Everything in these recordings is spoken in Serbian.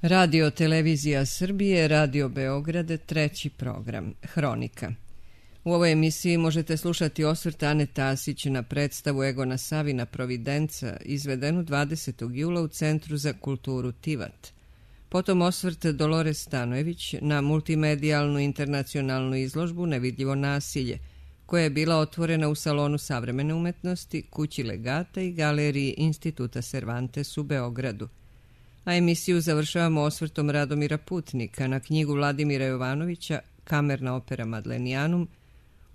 Radio Televizija Srbije, Radio Beograd, treći program, Hronika. U ovoj emisiji možete slušati osvrt Ane Tasić na predstavu Egona Savina Providenca, izvedenu 20. jula u Centru za kulturu Tivat. Potom osvrt Dolores Stanojević na multimedijalnu internacionalnu izložbu Nevidljivo nasilje, koja je bila otvorena u Salonu savremene umetnosti, Kući legata i Galeriji Instituta Cervantes u Beogradu. A emisiju završavamo osvrtom Radomira Putnika na knjigu Vladimira Jovanovića Kamerna opera Madlenianum,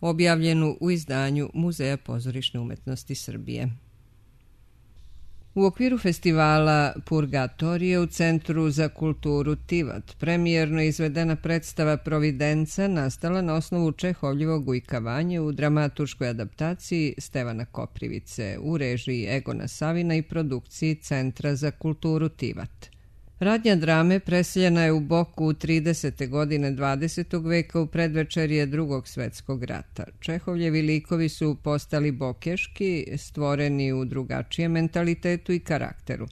objavljenu u izdanju Muzeja pozorišne umetnosti Srbije. U okviru festivala Purgatorije u Centru za kulturu Tivat premijerno izvedena predstava Providenca nastala na osnovu Čehovljevog Ujkavanje u dramaturškoj adaptaciji Stevana Koprivice u režiji Egona Savina i produkciji Centra za kulturu Tivat. Radnja drame preseljena je u Boku u 30. godine 20. veka u predvečerje Drugog svetskog rata. Čehovljevi likovi su postali bokeški, stvoreni u drugačijem mentalitetu i karakteru.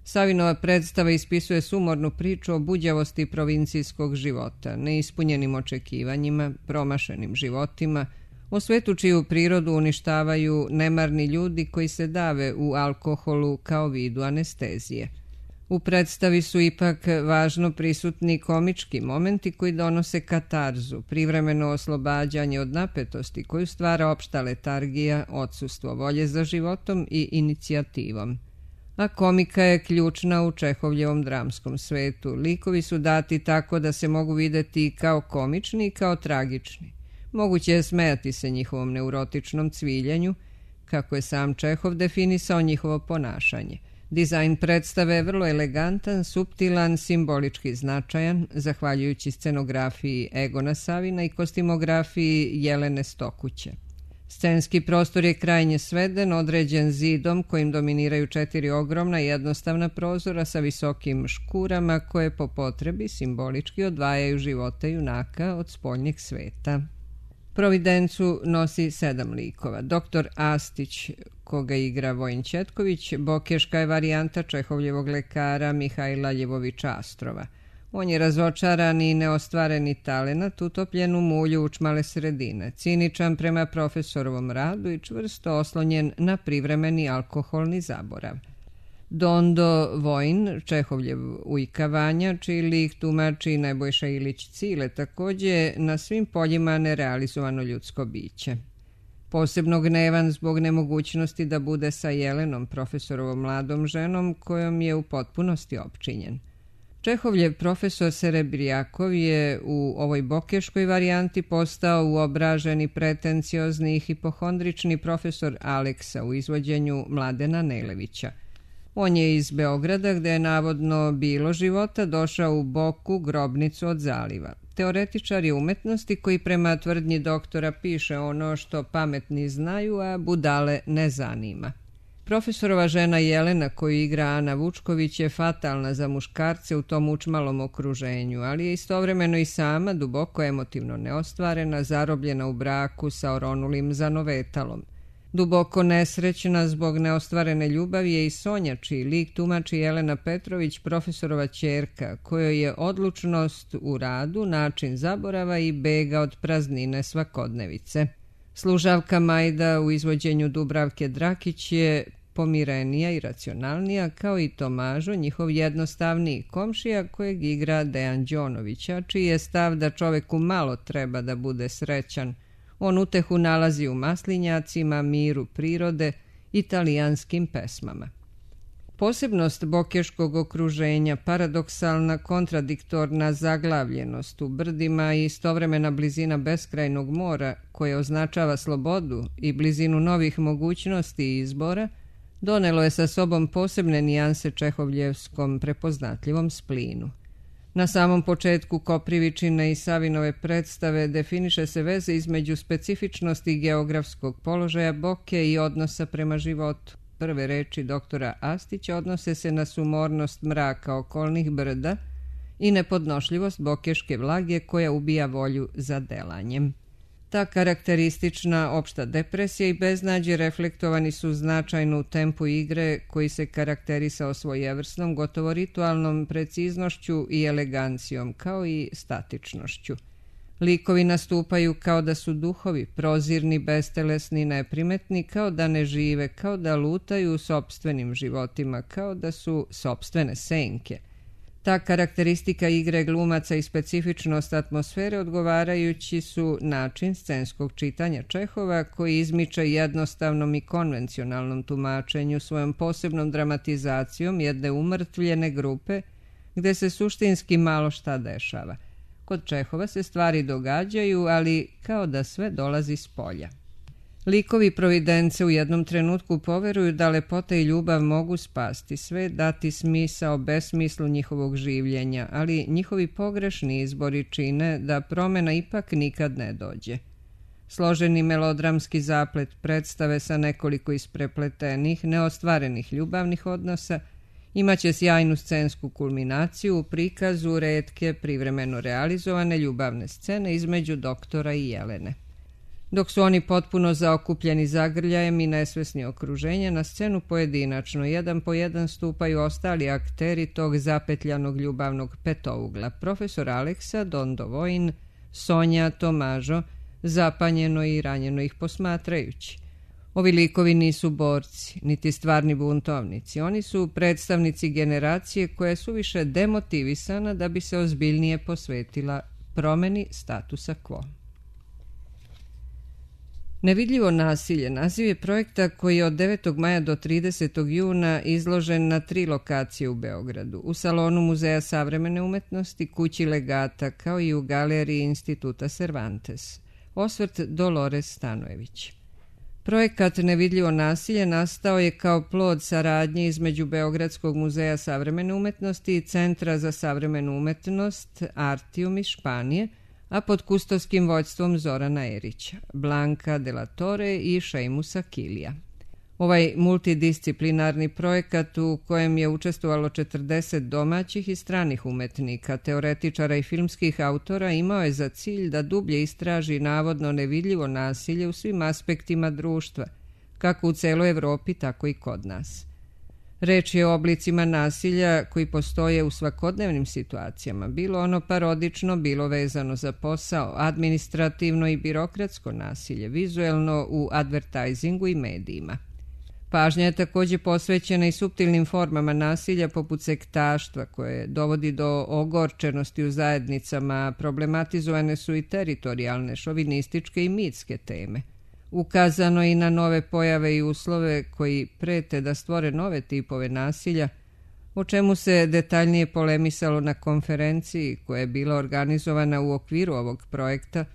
Savinova predstava ispisuje sumornu priču o buđavosti provincijskog života, neispunjenim očekivanjima, promašenim životima, o svetu čiju prirodu uništavaju nemarni ljudi koji se dave u alkoholu kao vidu anestezije. U predstavi su ipak važno prisutni komički momenti koji donose katarzu, privremeno oslobađanje od napetosti koju stvara opšta letargija, odsustvo volje za životom i inicijativom. A komika je ključna u Čehovljevom dramskom svetu. Likovi su dati tako da se mogu videti kao komični i kao tragični. Moguće je smejati se njihovom neurotičnom cviljenju, kako je sam Čehov definisao njihovo ponašanje. Dizajn predstave je vrlo elegantan, suptilan, simbolički značajan, zahvaljujući scenografiji Egona Savina i kostimografiji Jelene Stokuće. Scenski prostor je krajnje sveden, određen zidom kojim dominiraju 4 ogromna jednostavna prozora sa visokim škurama koje po potrebi simbolički odvajaju živote junaka od spoljnjeg sveta. Providencu nosi 7 likova. Doktor Astić, koga igra Vojin Ćetković, bokeška je varijanta Čehovljevog lekara Mihajla Ljevovića Astrova. On je razočaran i neostvareni talenat, utopljen u mulju učmale sredine, ciničan prema profesorovom radu i čvrsto oslonjen na privremeni alkoholni zaborav. Dondo Vojin, Čehovljev Ujkavanja, čiji lik tumači Nebojša Ilić Cile, također na svim poljima nerealizovano ljudsko biće. Posebno gnevan zbog nemogućnosti da bude sa Jelenom, profesorovom mladom ženom, kojom je u potpunosti opčinjen. Čehovljev profesor Serebrijakov je u ovoj bokeškoj varijanti postao uobraženi, pretenciozni i hipohondrični profesor Aleksa u izvođenju Mladena Nelevića. On je iz Beograda, gde je navodno bilo života, došao u Boku, grobnicu od zaliva. Teoretičar je umetnosti koji prema tvrdnji doktora piše ono što pametni znaju, a budale ne zanima. Profesorova žena Jelena, koju igra Ana Vučković, je fatalna za muškarce u tom učmalom okruženju, ali je istovremeno i sama duboko emotivno neostvarena, zarobljena u braku sa oronulim zanovetalom. Duboko nesrećna zbog neostvarene ljubavi je i Sonja, čiji lik tumači Jelena Petrović, profesorova ćerka, kojoj je odlučnost u radu način zaborava i bega od praznine svakodnevice. Služavka Majda u izvođenju Dubravke Drakić je pomirenija i racionalnija, kao i Tomažo, njihov jednostavniji komšija kojeg igra Dejan Đonovića, čiji je stav da čoveku malo treba da bude srećan. On utehu nalazi u maslinjacima, miru prirode, italijanskim pesmama. Posebnost bokeškog okruženja, paradoksalna, kontradiktorna zaglavljenost u brdima i istovremena blizina beskrajnog mora, koje označava slobodu i blizinu novih mogućnosti i izbora, donelo je sa sobom posebne nijanse čehovljevskom prepoznatljivom splinu. Na samom početku Koprivičine i Savinove predstave definiše se veza između specifičnosti geografskog položaja Boke i odnosa prema životu. Prve reči doktora Astića odnose se na sumornost mraka okolnih brda i nepodnošljivost bokeške vlage koja ubija volju za delanjem. Ta karakteristična opšta depresija i beznađe reflektovani su značajno u tempu igre koji se karakterisao svojevrsnom, gotovo ritualnom preciznošću i elegancijom, kao i statičnošću. Likovi nastupaju kao da su duhovi, prozirni, bestelesni, neprimetni, kao da ne žive, kao da lutaju u sopstvenim životima, kao da su sopstvene senke. Ta karakteristika igre glumaca i specifičnost atmosfere odgovarajući su način scenskog čitanja Čehova koji izmiče jednostavnom i konvencionalnom tumačenju svojom posebnom dramatizacijom jedne umrtvljene grupe gde se suštinski malo šta dešava. Kod Čehova se stvari događaju, ali kao da sve dolazi s polja. Likovi providence u jednom trenutku poveruju da lepota i ljubav mogu spasti sve, dati smisao besmislu njihovog življenja, ali njihovi pogrešni izbori čine da promena ipak nikad ne dođe. Složeni melodramski zaplet predstave sa nekoliko isprepletenih, neostvarenih ljubavnih odnosa imaće sjajnu scensku kulminaciju u prikazu retke privremeno realizovane ljubavne scene između doktora i Jelene. Dok su oni potpuno zaokupljeni zagrljajem i nesvesni okruženja, na scenu pojedinačno, jedan po jedan stupaju ostali akteri tog zapetljanog ljubavnog petougla. Profesor Aleksa, Don Dovojin, Sonja, Tomažo, zapanjeno i ranjeno ih posmatrajući. Ovi likovi nisu borci, niti stvarni buntovnici. Oni su predstavnici generacije koja je suviše demotivisana da bi se ozbiljnije posvetila promeni statusa quo. Nevidljivo nasilje naziv je projekta koji je od 9. maja do 30. juna izložen na 3 lokacije u Beogradu, u salonu Muzeja savremene umetnosti, kući Legata, kao i u galeriji Instituta Cervantes. Osvrt Dolores Stanojević. Projekat Nevidljivo nasilje nastao je kao plod saradnje između Beogradskog muzeja savremene umetnosti i Centra za savremenu umetnost Artium iz Španije, a pod kustovskim vođstvom Zorana Erića, Blanka de la Torre i Šejmusa Kilija. Ovaj multidisciplinarni projekat u kojem je učestvovalo 40 domaćih i stranih umetnika, teoretičara i filmskih autora imao je za cilj da dublje istraži navodno nevidljivo nasilje u svim aspektima društva, kako u celoj Evropi, tako i kod nas. Reč je o oblicima nasilja koji postoje u svakodnevnim situacijama, bilo ono parodično, bilo vezano za posao, administrativno i birokratsko nasilje, vizuelno u advertajzingu i medijima. Pažnja je također posvećena i suptilnim formama nasilja poput sektaštva koje dovodi do ogorčenosti u zajednicama, problematizovane su i teritorijalne, šovinističke i mitske teme. Ukazano je i na nove pojave i uslove koji prete da stvore nove tipove nasilja, o čemu se detaljnije polemisalo na konferenciji koja je bila organizovana u okviru ovog projekta,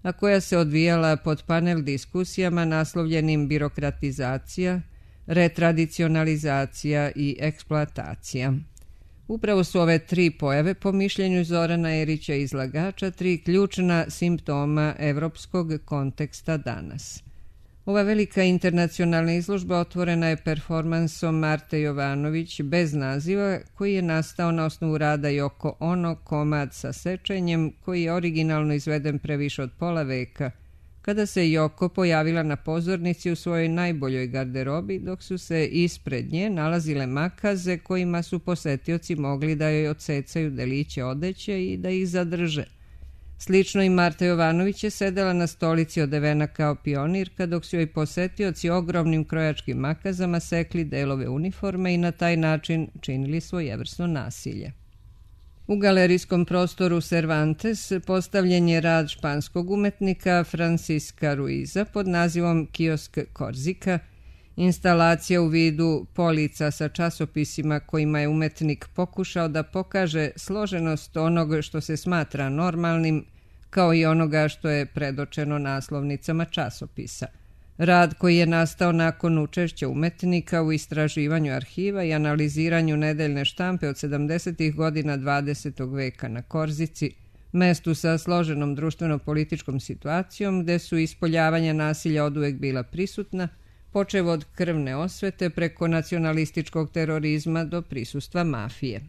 a koja se odvijala pod panel diskusijama naslovljenim birokratizacija, retradicionalizacija i eksploatacija. Upravo su ove 3 pojave, po mišljenju Zorana Erića izlagača, 3 ključna simptoma evropskog konteksta danas. Ova velika internacionalna izložba otvorena je performansom Marte Jovanović bez naziva, koji je nastao na osnovu rada Yoko Ono, komad sa sečenjem, koji je originalno izveden pre više od pola veka, kada se Yoko pojavila na pozornici u svojoj najboljoj garderobi, dok su se ispred nje nalazile makaze kojima su posetioci mogli da joj odsecaju deliće odeće i da ih zadrže. Slično i Marta Jovanović je sedela na stolici odevena kao pionirka, dok su joj posetioci ogromnim krojačkim makazama sekli delove uniforme i na taj način činili svojevrsno nasilje. U galerijskom prostoru Cervantes postavljen je rad španskog umetnika Francisca Ruiza pod nazivom Kiosk Korzika, instalacija u vidu polica sa časopisima kojima je umetnik pokušao da pokaže složenost onog što se smatra normalnim, kao i onoga što je predočeno naslovnicama časopisa. Rad koji je nastao nakon učešća umetnika u istraživanju arhiva i analiziranju nedeljne štampe od 70. godina 20. veka na Korzici, mestu sa složenom društveno-političkom situacijom gde su ispoljavanja nasilja oduvek bila prisutna, počev od krvne osvete preko nacionalističkog terorizma do prisustva mafije.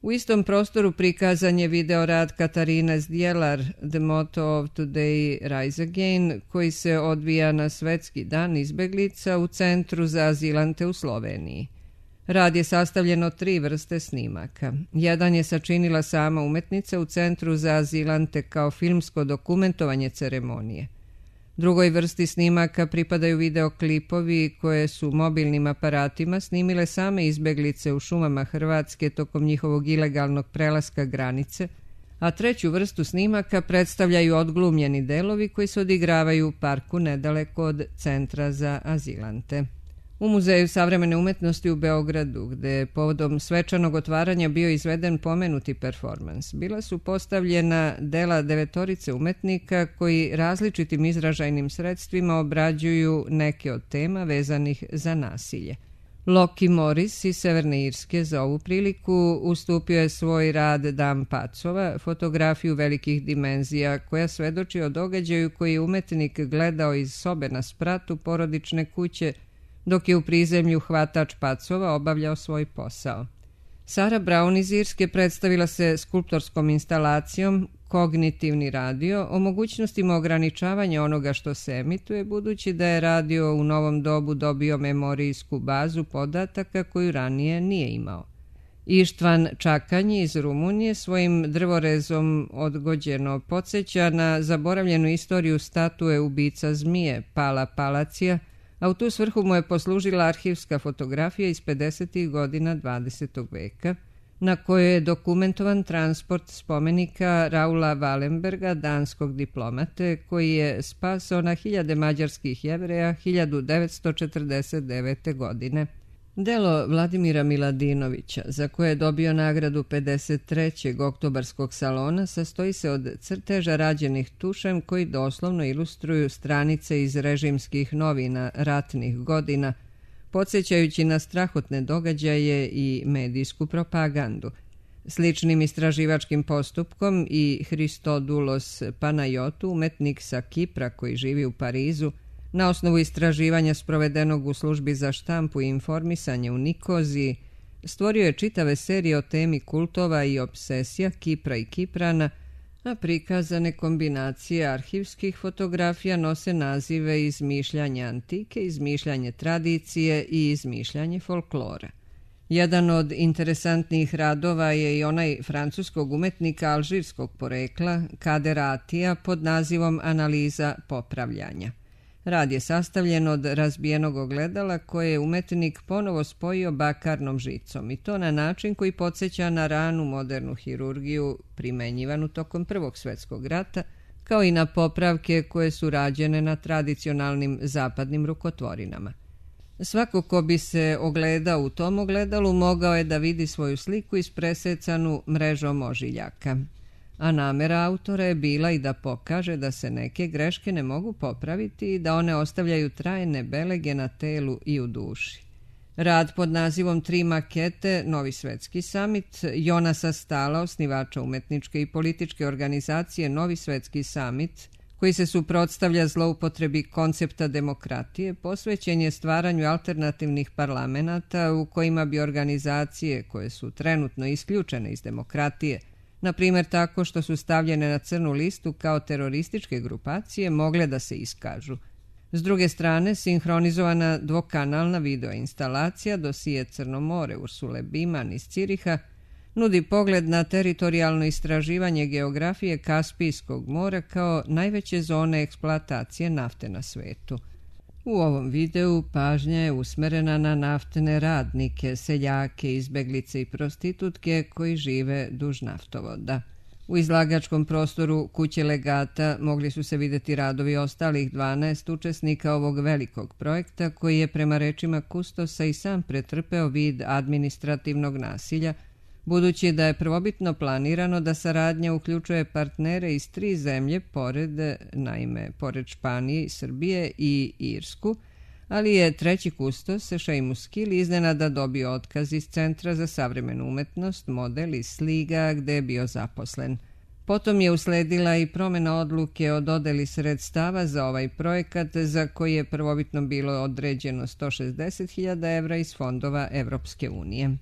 U istom prostoru prikazan je video rad Katarine Zdjelar The Motto of Today Rise Again, koji se odvija na Svetski dan izbeglica u Centru za azilante u Sloveniji. Rad je sastavljen od 3 vrste snimaka. Jedan je sačinila sama umetnica u Centru za azilante kao filmsko dokumentovanje ceremonije. Drugoj vrsti snimaka pripadaju videoklipovi koje su mobilnim aparatima snimile same izbeglice u šumama Hrvatske tokom njihovog ilegalnog prelaska granice, a treću vrstu snimaka predstavljaju odglumljeni delovi koji se odigravaju u parku nedaleko od Centra za azilante. U Muzeju savremene umetnosti u Beogradu, gde je povodom svečanog otvaranja bio izveden pomenuti performans, bila su postavljena dela 9 umetnika koji različitim izražajnim sredstvima obrađuju neke od tema vezanih za nasilje. Loki Morris iz Severne Irske za ovu priliku ustupio je svoj rad Dam pacova, fotografiju velikih dimenzija koja svedoči o događaju koji je umetnik gledao iz sobe na spratu porodične kuće dok je u prizemlju hvatač pacova obavljao svoj posao. Sara Brown iz Irske predstavila se skulptorskom instalacijom Kognitivni radio o mogućnostima ograničavanja onoga što se emituje, budući da je radio u novom dobu dobio memorijsku bazu podataka koju ranije nije imao. Ištvan Čakanji iz Rumunije svojim drvorezom odgođeno podsjeća na zaboravljenu istoriju statue ubica zmije Pala Palacija, a u tu svrhu mu je poslužila arhivska fotografija iz 50. godina 20. veka, na kojoj je dokumentovan transport spomenika Raula Wallenberga, danskog diplomate, koji je spasao na hiljade mađarskih Jevreja 1949. godine. Delo Vladimira Miladinovića, za koje je dobio nagradu 53. oktobarskog salona, sastoji se od crteža rađenih tušem koji doslovno ilustruju stranice iz režimskih novina ratnih godina, podsjećajući na strahotne događaje i medijsku propagandu. Sličnim istraživačkim postupkom i Christodoulos Panayotou, umetnik sa Kipra koji živi u Parizu, na osnovu istraživanja sprovedenog u službi za štampu i informisanje u Nikoziji, stvorio je čitave serije o temi kultova i obsesija Kipra i Kiprana, a prikazane kombinacije arhivskih fotografija nose nazive Izmišljanje antike, Izmišljanje tradicije i Izmišljanje folklora. Jedan od interesantnijih radova je i onaj francuskog umetnika alžirskog porekla Kader Atija pod nazivom Analiza popravljanja. Rad je sastavljen od razbijenog ogledala koje je umetnik ponovo spojio bakarnom žicom i to na način koji podsjeća na ranu modernu hirurgiju primenjivanu tokom Prvog svjetskog rata, kao i na popravke koje su rađene na tradicionalnim zapadnim rukotvorinama. Svako ko bi se ogledao u tom ogledalu mogao je da vidi svoju sliku ispresecanu mrežom ožiljaka. A namera autora je bila i da pokaže da se neke greške ne mogu popraviti i da one ostavljaju trajne belege na telu i u duši. Rad pod nazivom 3 makete, Novi svetski samit, Jonasa Stala, osnivača umetničke i političke organizacije Novi svetski samit, koji se suprotstavlja zloupotrebi koncepta demokratije, posvećen je stvaranju alternativnih parlamenata u kojima bi organizacije koje su trenutno isključene iz demokratije, na primjer tako što su stavljene na crnu listu kao terorističke grupacije, mogle da se iskažu. S druge strane, sinhronizovana dvokanalna videoinstalacija dosije Crno more Ursule Biman iz Ciriha nudi pogled na teritorijalno istraživanje geografije Kaspijskog mora kao najveće zone eksploatacije nafte na svetu. U ovom videu pažnja je usmerena na naftne radnike, seljake, izbeglice i prostitutke koji žive duž naftovoda. U izlagačkom prostoru kuće legata mogli su se vidjeti radovi ostalih 12 učesnika ovog velikog projekta koji je prema rečima kustosa i sam pretrpeo vid administrativnog nasilja, budući da je prvobitno planirano da saradnja uključuje partnere iz 3 zemlje pored Španije i Srbije i Irsku, ali je treći kustos, Seamus Kill, iznenada dobio otkaz iz Centra za savremenu umetnost, model iz Sliga, gde je bio zaposlen. Potom je usledila i promjena odluke o dodeli sredstava za ovaj projekat, za koji je prvobitno bilo određeno 160.000 evra iz fondova Evropske unije.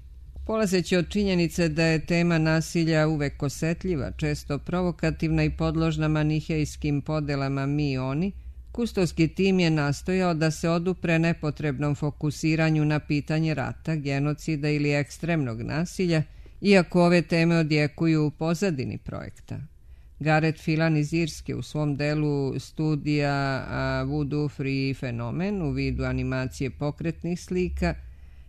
Polazeći od činjenice da je tema nasilja uvek osetljiva, često provokativna i podložna manihejskim podelama mi-oni, kustovski tim je nastojao da se odupre nepotrebnom fokusiranju na pitanje rata, genocida ili ekstremnog nasilja, iako ove teme odjekuju u pozadini projekta. Gareth Phelan iz Irske u svom delu studija Voodoo Free fenomen u vidu animacije pokretnih slika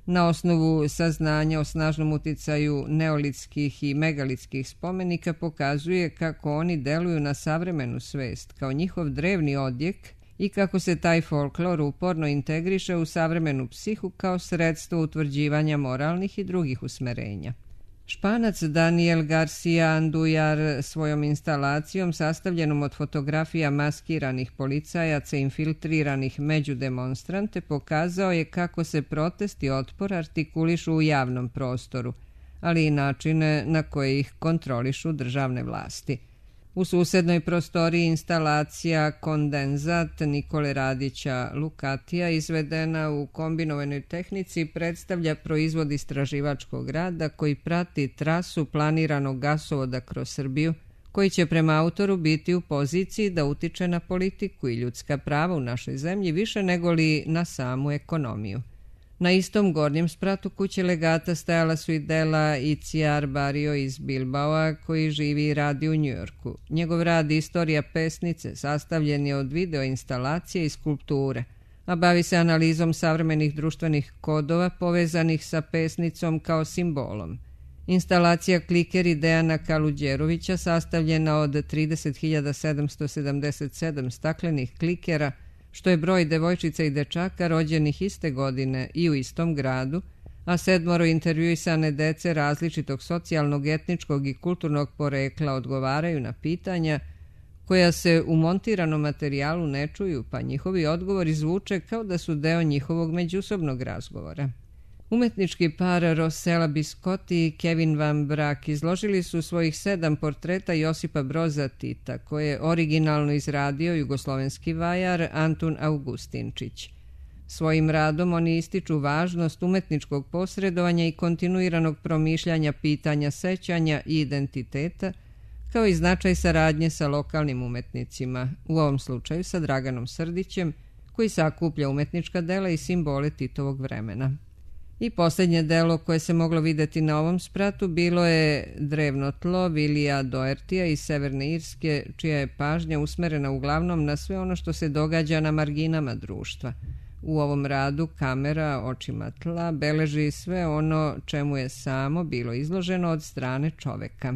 na osnovu saznanja o snažnom uticaju neolitskih i megalitskih spomenika pokazuje kako oni deluju na savremenu svest kao njihov drevni odjek i kako se taj folklor uporno integriše u savremenu psihu kao sredstvo utvrđivanja moralnih i drugih usmerenja. Španac Daniel Garcia Andujar svojom instalacijom sastavljenom od fotografija maskiranih policajaca infiltriranih među demonstrante pokazao je kako se protest i otpor artikulišu u javnom prostoru, ali i načine na koje ih kontrolišu državne vlasti. U susednoj prostoriji instalacija Kondenzat Nikole Radića Lukatija izvedena u kombinovanoj tehnici predstavlja proizvod istraživačkog rada koji prati trasu planiranog gasovoda kroz Srbiju, koji će prema autoru biti u poziciji da utiče na politiku i ljudska prava u našoj zemlji više nego li na samu ekonomiju. Na istom gornjem spratu kuće legata stajala su i dela Iciar Barrio iz Bilbaoa koji živi i radi u Njujorku. Njegov rad Istorija pesnice sastavljen je od video instalacije i skulpture, a bavi se analizom savremenih društvenih kodova povezanih sa pesnicom kao simbolom. Instalacija Klikeri Dejana Kaluđerovića sastavljena od 30.777 staklenih klikera, što je broj devojčica i dečaka rođenih iste godine i u istom gradu, a 7 intervjuisane dece različitog socijalnog, etničkog i kulturnog porekla odgovaraju na pitanja koja se u montiranom materijalu ne čuju, pa njihovi odgovori zvuče kao da su deo njihovog međusobnog razgovora. Umetnički par Rossella Biscotti i Kevin Van Brack izložili su svojih 7 portreta Josipa Broza Tita, koje je originalno izradio jugoslovenski vajar Antun Augustinčić. Svojim radom oni ističu važnost umetničkog posredovanja i kontinuiranog promišljanja pitanja sećanja i identiteta, kao i značaj saradnje sa lokalnim umetnicima, u ovom slučaju sa Draganom Srdićem, koji sakuplja umetnička dela i simbole Titovog vremena. I posljednje delo koje se moglo videti na ovom spratu bilo je Drevno tlo Vilija Doertija iz Severne Irske, čija je pažnja usmerena uglavnom na sve ono što se događa na marginama društva. U ovom radu kamera očima tla beleži sve ono čemu je samo bilo izloženo od strane čoveka.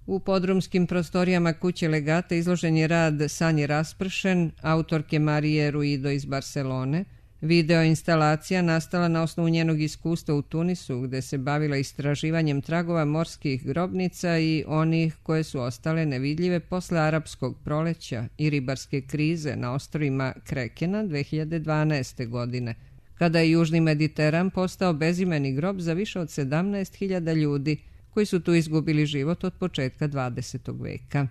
U podrumskim prostorijama kuće legata izložen je rad Sanje Raspršen, autorke Marije Ruido iz Barcelone. Video instalacija nastala na osnovu njenog iskustva u Tunisu, gde se bavila istraživanjem tragova morskih grobnica i onih koje su ostale nevidljive posle arapskog proleća i ribarske krize na ostrvima Krekena 2012. godine, kada je Južni Mediteran postao bezimeni grob za više od 17.000 ljudi koji su tu izgubili život od početka 20. veka.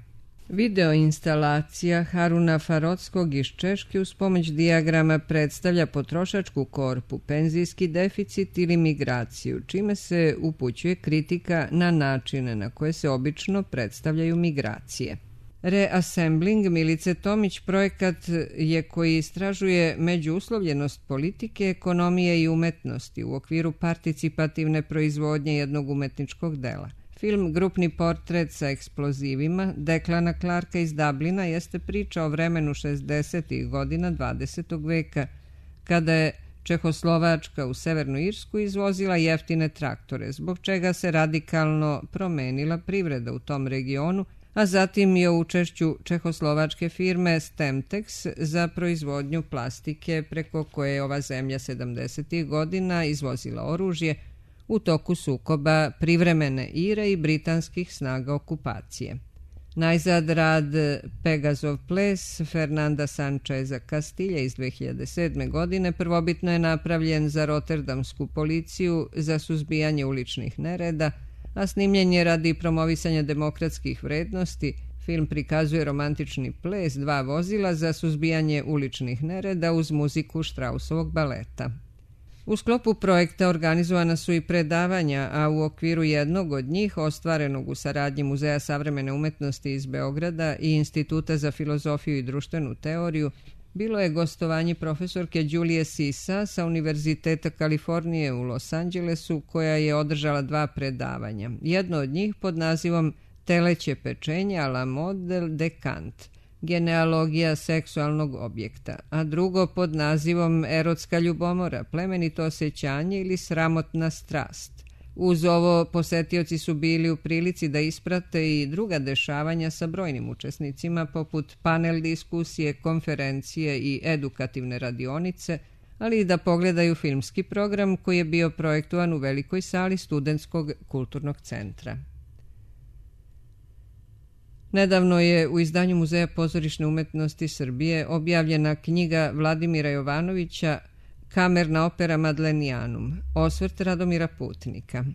Video instalacija Haruna Farotskog iz Češke uz pomoć dijagrama predstavlja potrošačku korpu, penzijski deficit ili migraciju, čime se upućuje kritika na načine na koje se obično predstavljaju migracije. Reassembling Milice Tomić projekat je koji istražuje međuuslovljenost politike, ekonomije i umetnosti u okviru participativne proizvodnje jednog umetničkog dela. Film Grupni portret sa eksplozivima Declana Clarka iz Dublina jeste priča o vremenu 60. godina 20. veka, kada je Čehoslovačka u Severnu Irsku izvozila jeftine traktore, zbog čega se radikalno promenila privreda u tom regionu, a zatim je o učešću čehoslovačke firme Stemtex za proizvodnju plastike preko koje je ova zemlja 70. godina izvozila oružje u toku sukoba privremene Ire i britanskih snaga okupacije. Najzad rad Pegazov ples Fernanda Sancheza Castilja iz 2007. godine prvobitno je napravljen za rotterdamsku policiju za suzbijanje uličnih nereda, a snimljen je radi promovisanja demokratskih vrednosti. Film prikazuje romantični ples 2 vozila za suzbijanje uličnih nereda uz muziku Štrausovog baleta. U sklopu projekta organizovana su i predavanja, a u okviru jednog od njih, ostvarenog u saradnji Muzeja savremene umetnosti iz Beograda i Instituta za filozofiju i društvenu teoriju, bilo je gostovanje profesorke Đulije Sisa sa Univerziteta Kalifornije u Los Angelesu, koja je održala 2 predavanja. Jedno od njih pod nazivom Teleće pečenje a la mode de Kant, genealogija seksualnog objekta, a drugo pod nazivom Erotska ljubomora, plemenito osjećanje ili sramotna strast. Uz ovo, posetioci su bili u prilici da isprate i druga dešavanja sa brojnim učesnicima, poput panel diskusije, konferencije i edukativne radionice, ali i da pogledaju filmski program koji je bio projektovan u velikoj sali Studentskog kulturnog centra. Nedavno je u izdanju Muzeja pozorišne umetnosti Srbije objavljena knjiga Vladimira Jovanovića Kamerna opera Madlenianum, osvrt Radomira Putnika.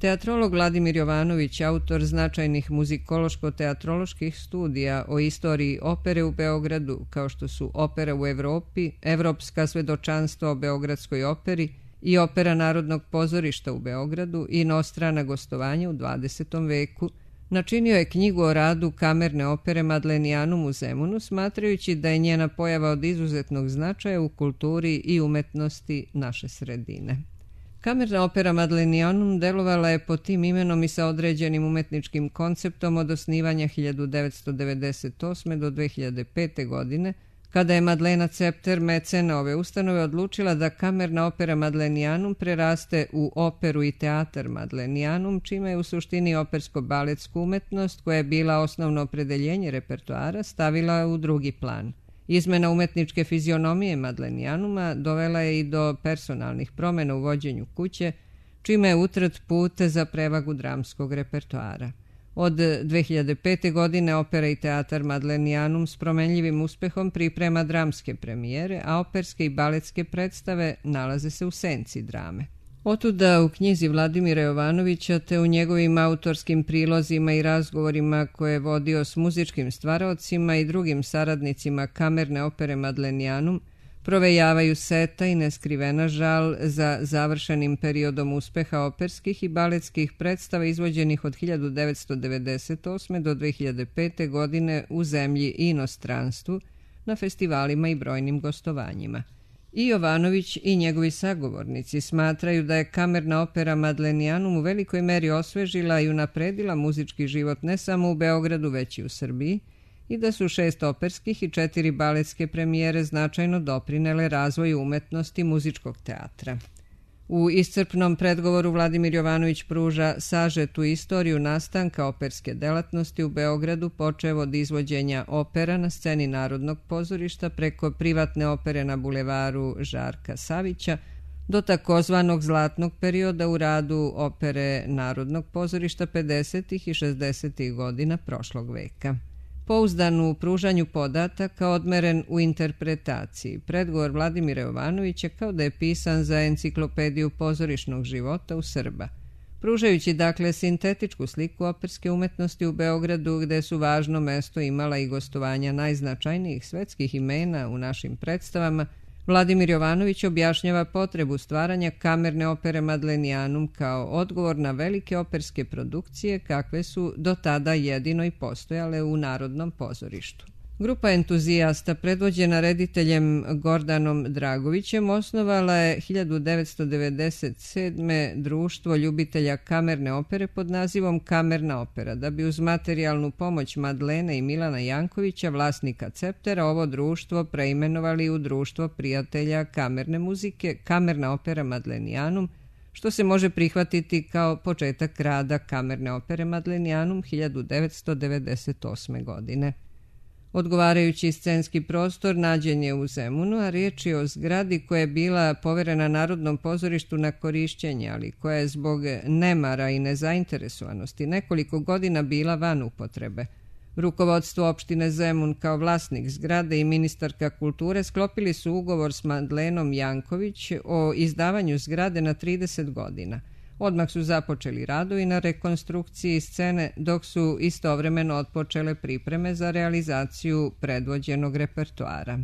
Teatrolog Vladimir Jovanović, autor značajnih muzikološko-teatroloških studija o istoriji opere u Beogradu, kao što su Opera u Evropi, Evropska svedočanstva o Beogradskoj operi i Opera Narodnog pozorišta u Beogradu i inostrana gostovanja u 20. veku, načinio je knjigu o radu kamerne opere Madlenianum u Zemunu, smatrajući da je njena pojava od izuzetnog značaja u kulturi i umetnosti naše sredine. Kamerna opera Madlenianum delovala je pod tim imenom i sa određenim umetničkim konceptom od osnivanja 1998. do 2005. godine, kada je Madlena Cepter, mecena ove ustanove, odlučila da kamerna opera Madlenianum preraste u operu i teatar Madlenianum, čime je u suštini opersko-baletsku umetnost, koja je bila osnovno opredeljenje repertoara, stavila u drugi plan. Izmena umetničke fizionomije Madlenianuma dovela je i do personalnih promjena u vođenju kuće, čime je utret put za prevagu dramskog repertoara. Od 2005. godine opera i teatar Madlenianum s promenljivim uspehom priprema dramske premijere, a operske i baletske predstave nalaze se u senci drame. Otuda u knjizi Vladimira Jovanovića te u njegovim autorskim prilozima i razgovorima koje je vodio s muzičkim stvaraocima i drugim saradnicima kamerne opere Madlenianum provejavaju seta i neskrivena žal za završenim periodom uspeha operskih i baletskih predstava izvođenih od 1998. do 2005. godine u zemlji i inostranstvu, na festivalima i brojnim gostovanjima. I Jovanović i njegovi sagovornici smatraju da je kamerna opera Madlenianum u velikoj meri osvežila i unapredila muzički život ne samo u Beogradu, već i u Srbiji, i da su 6 operskih i 4 baletske premijere značajno doprinele razvoju umetnosti muzičkog teatra. U iscrpnom predgovoru Vladimir Jovanović pruža sažetu istoriju nastanka operske delatnosti u Beogradu, počev od izvođenja opera na sceni Narodnog pozorišta preko privatne opere na bulevaru Žarka Savića do takozvanog zlatnog perioda u radu opere Narodnog pozorišta 50. i 60. godina prošlog veka. Pouzdan u pružanju podataka, odmeren u interpretaciji. Predgovor Vladimira Jovanovića kao da je pisan za enciklopediju pozorišnog života u Srba. Pružajući dakle sintetičku sliku operske umetnosti u Beogradu, gde su važno mesto imala i gostovanja najznačajnijih svetskih imena u našim predstavama, Vladimir Jovanović objašnjava potrebu stvaranja kamerne opere Madlenianum kao odgovor na velike operske produkcije kakve su do tada jedino i postojale u Narodnom pozorištu. Grupa entuzijasta predvođena rediteljem Gordanom Dragovićem osnovala je 1997. društvo ljubitelja kamerne opere pod nazivom Kamerna opera, da bi uz materijalnu pomoć Madlene i Milana Jankovića, vlasnika Ceptera, ovo društvo preimenovali u Društvo prijatelja kamerne muzike Kamerna opera Madlenianum, što se može prihvatiti kao početak rada kamerne opere Madlenianum 1998. godine. Odgovarajući scenski prostor nađen je u Zemunu, a riječ je o zgradi koja je bila poverena Narodnom pozorištu na korišćenje, ali koja je zbog nemara i nezainteresovanosti nekoliko godina bila van upotrebe. Rukovodstvo opštine Zemun kao vlasnik zgrade i ministarka kulture sklopili su ugovor s Madlenom Janković o izdavanju zgrade na 30 godina. Odmah su započeli radovi na rekonstrukciji scene, dok su istovremeno otpočele pripreme za realizaciju predvođenog repertoara.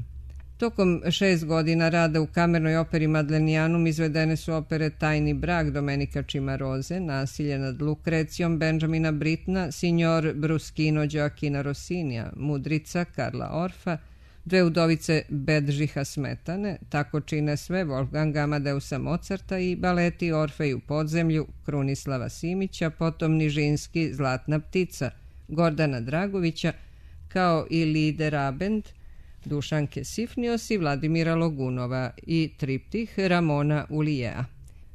Tokom 6 godina rada u kamernoj operi Madlenianum izvedene su opere Tajni brak Domenica Cimaroze, Nasilje nad Lukrecijom Benjamina Brittna, Signor Bruschino Gioacchina Rossinija, Mudrica Karla Orfa, Dve udovice Bedžiha Smetane, Tako čine sve Wolfganga Amadeusa Mozarta i baleti Orfej u podzemlju Krunislava Simića, potom Nižinski Zlatna ptica Gordana Dragovića, kao i Lieder Abend Dušanke Sifnios i Vladimira Logunova i triptih Ramona Ulijea.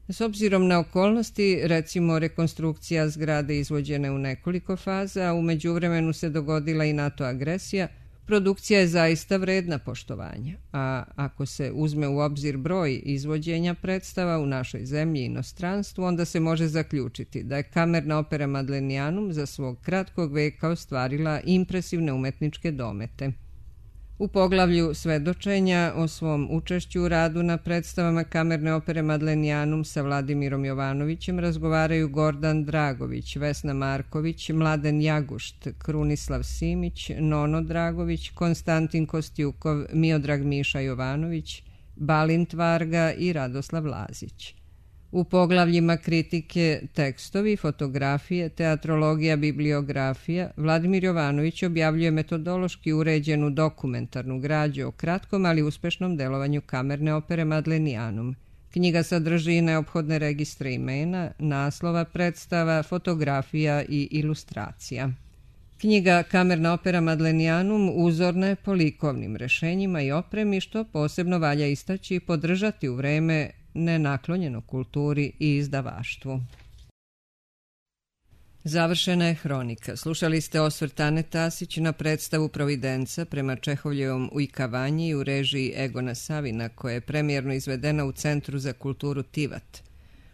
S obzirom na okolnosti, recimo rekonstrukcija zgrade izvođene u nekoliko faza, a u međuvremenu se dogodila i NATO agresija, produkcija je zaista vredna poštovanja, a ako se uzme u obzir broj izvođenja predstava u našoj zemlji i inostranstvu, onda se može zaključiti da je kamerna opera Madlenianum za svog kratkog veka ostvarila impresivne umetničke domete. U poglavlju svedočenja o svom učešću u radu na predstavama kamerne opere Madlenianum sa Vladimirom Jovanovićem razgovaraju Gordan Dragović, Vesna Marković, Mladen Jagušt, Krunislav Simić, Nono Dragović, Konstantin Kostjukov, Miodrag Miša Jovanović, Balint Varga i Radoslav Lazić. U poglavljima kritike, tekstovi, fotografije, teatrologija, bibliografija, Vladimir Jovanović objavljuje metodološki uređenu dokumentarnu građu o kratkom, ali uspešnom delovanju kamerne opere Madlenianum. Knjiga sadrži neophodne registre imena, naslova predstava, fotografija i ilustracija. Knjiga Kamerna opera Madlenianum uzorna je po likovnim rešenjima i opremi, što posebno valja istaći i podržati u vreme nenaklonjeno kulturi i izdavaštvu. Završena je hronika. Slušali ste osvrt Ane Tasić na predstavu Providenca prema Čehovljevom Ujkavanji u režiji Egona Savina, koja je premijerno izvedena u Centru za kulturu Tivat.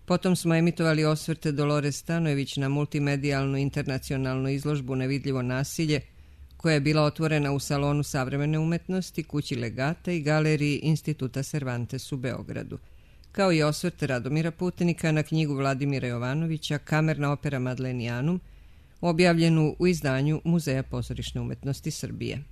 Potom smo emitovali osvrte Dolores Stanojević na multimedijalnu internacionalnu izložbu Nevidljivo nasilje, koja je bila otvorena u Salonu savremene umetnosti, Kući Legata i Galeriji Instituta Cervantes u Beogradu, kao i osvrt Radomira Putnika na knjigu Vladimira Jovanovića Kamerna opera Madlenianum, objavljenu u izdanju Muzeja pozorišne umetnosti Srbije.